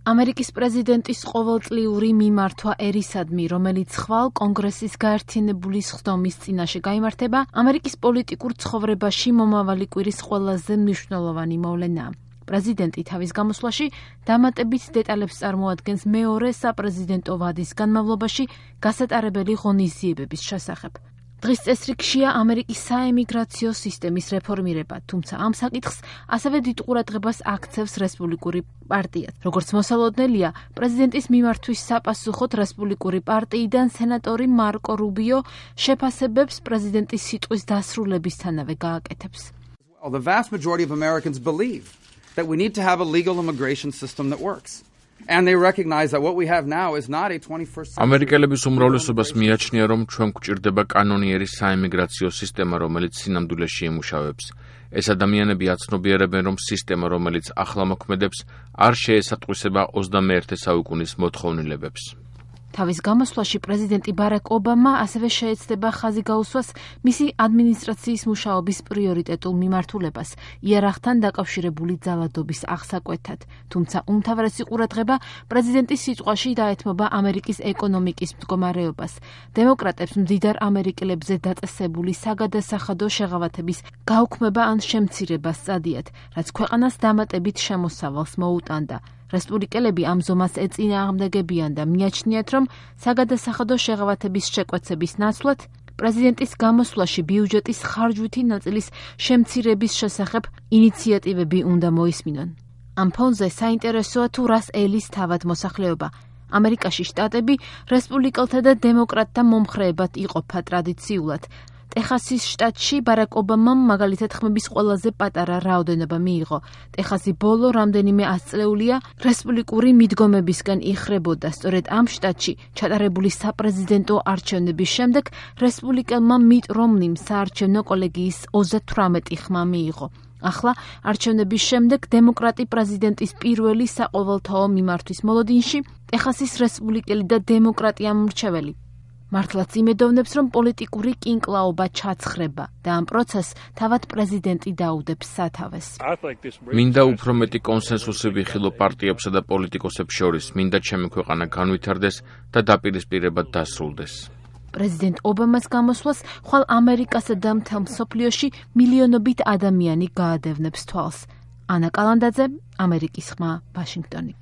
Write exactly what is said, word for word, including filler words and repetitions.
ამერიკის პრეზიდენტის ყოველწლიური მიმართვა ერისადმი, რომელიც ხვალ კონგრესის გაერთიანებული სხდომის წინაშე გაიმართება, ამერიკის პოლიტიკურ ცხოვრებაში მომავალი კვირის ყველაზე მნიშვნელოვანი მოვლენაა. პრეზიდენტი თავის გამოსვლაში დამატებით დეტალებს წარმოადგენს მეორე საპრეზიდენტო ვადის განმავლობაში გასატარებელი ღონისძიებების შესახებ. დღის წესრიგშია ამერიკის საემიგრაციო სისტემის რეფორმირება, თუმცა ამ საკითხს ასევე დიდ ყურადღებას აქცევს რესპუბლიკური პარტია. როგორც მოსალოდნელია, პრეზიდენტის მიმართვის საპასუხოდ რესპუბლიკური პარტიიდან სენატორი მარკო რუბიო შეფასებებს პრეზიდენტის სიტყვის დასრულებისთანავე გააკეთებს. Well, the vast majority of Americans believe that we need to have a legal immigration system that works. And they recognize that what we have now is not a twenty-first century. ამერიკელების უმრავლესობას მიაჩნია, რომ ჩვენ გვჭირდება კანონიერი საემიგრაციო სისტემა, რომელიც სინამდვილეში ემუშავებს. ეს ადამიანები აცნობიერებენ, რომ სისტემა, რომელიც ახლა მოქმედებს, არ შეესატყვისება ოცდამეერთე საუკუნის მოთხოვნილებებს. თავის გამოსვლაში პრეზიდენტი ბარაკ ობამა ასევე შეეცდება ხაზი გაუსვას მისი ადმინისტრაციის მუშაობის პრიორიტეტულ მიმართულებას, იარაღთან დაკავშირებული ძალადობის აღსაკვეთად. თუმცა უმთავრესი ყურადღება პრეზიდენტის სიტყვაში დაეთმობა ამერიკის ეკონომიკის მდგომარეობას. დემოკრატებს მდიდარ ამერიკელებზე დაწესებული საგადასახადო შეღავათების გაუქმება ან შემცირება სწადიათ, რაც ქვეყანას დამატებით შემოსავალს მოუტანდა. რესპუბლიკელები ამ ზომას ეწინააღმდეგებიან და მიაჩნიათ, რომ საგადასახადო შეღავათების შეკვეცების ნაცვლად პრეზიდენტის გამოსვლაში ბიუჯეტის ხარჯვითი ნაწილის შემცირების შესახებ ინიციატივები უნდა მოისმინონ. ამ ფონზე საინტერესოა თუ რას ელის თავად მოსახლეობა. ამერიკაში შტატები რესპუბლიკელთა და დემოკრატთა მომხრეებად იყოფა ტრადიციულად. ტეხასის შტატში ბარაკ ობამამ მაგალითად ხმების ყველაზე პატარა რაოდენობა მიიღო. ტეხასი ბოლო რამდენიმე ათწლეულია რესპუბლიკური მიდგომებისგან იხრებოდა. სწორედ ამ შტატში ჩატარებული საპრეზიდენტო არჩევნების შემდეგ რესპუბლიკელმა მიტ რომნიმ საარჩევნო კოლეგიის ოცდათვრამეტი ხმა მიიღო. ახლა არჩევნების შემდეგ დემოკრატი პრეზიდენტის პირველი საყოველთაო მიმართვის მოლოდინში ტეხასის რესპუბლიკელი და დემოკრატია მრჩეველი. მართლაც იმედოვნებს, რომ პოლიტიკური კინკლაობა ჩაცხრება და ამ პროცესს თავად პრეზიდენტი დაუდებს სათავეს. მინდა უფრო მეტი კონსენსუსი ვიხილო პარტიებსა და პოლიტიკოსებს შორის, მინდა ჩემი ქვეყანა განვითარდეს და დაპირისპირებად დასრულდეს. პრეზიდენტ ობამას გამოსვლას ხვალ ამერიკასა და მთელ მსოფლიოში მილიონობით ადამიანი გაადევნებს თვალს. ანა კალანდაძე, ამერიკის ხმა, ვაშინგტონი.